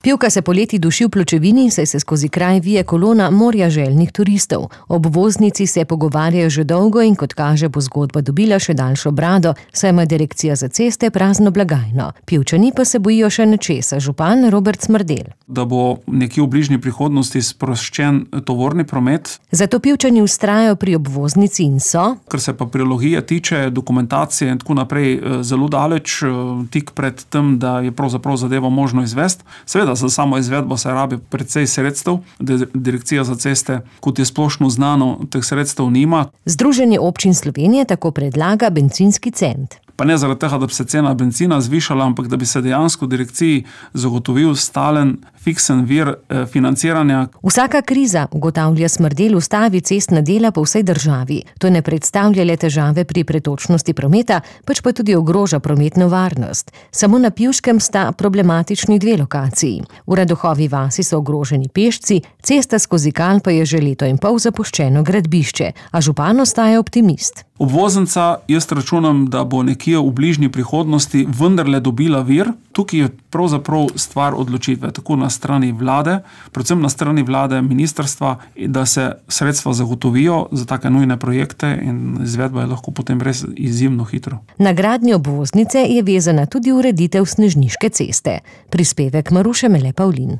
Pivka se poleti duši v pločevini, saj se skozi kraj vije kolona morja željnih turistov. Ob obvoznici se pogovarjajo že dolgo in kot kaže, bo zgodba dobila še daljšo brado, saj ima direkcija za ceste prazno blagajno. Pivčani pa se bojijo še nečesa, župan Robert Smrdelj. Da bo nekje v bližnji prihodnosti sproščen tovorni promet. Zato Pivčani vztrajajo pri obvoznici in so, kar se pa prilogije tiče, dokumentacije in tako naprej, zelo daleč, tik pred tem, da je pravzaprav zadevo možno izvesti. Seveda, za samo izvedbo se rabi precej sredstev. Direkcija za ceste, kot je splošno znano, teh sredstev nima. Združenje občin Slovenije tako predlaga bencinski cent. Pa ne zaradi tega, da bi se cena benzina zvišala, ampak da bi se dejansko direkciji zagotovil stalen, fiksen vir financiranja. Vsaka kriza, ugotavlja Smrdelj, ustavi cestna dela po vsej državi. To ne predstavlja le težave pri pretočnosti prometa, pač pa tudi ogroža prometno varnost. Samo na Pivškem sta problematični dve lokaciji. V Radohovi vasi so ogroženi pešci, cesta skozi Kal pa je že leto in pol zapuščeno gradbišče, a župan ostaja optimist. Obvoznica, jaz računam, da bo nekje v bližnji prihodnosti vendarle dobila vir. Tukaj je pravzaprav stvar odločitve, tako na strani vlade, predvsem na strani vlade, ministrstva, da se sredstva zagotovijo za take nujne projekte in izvedba je lahko potem res izjemno hitro. Na gradnjo obvoznice je vezana tudi ureditev Snežniške ceste. Prispevek Maruše Mele Pavlin.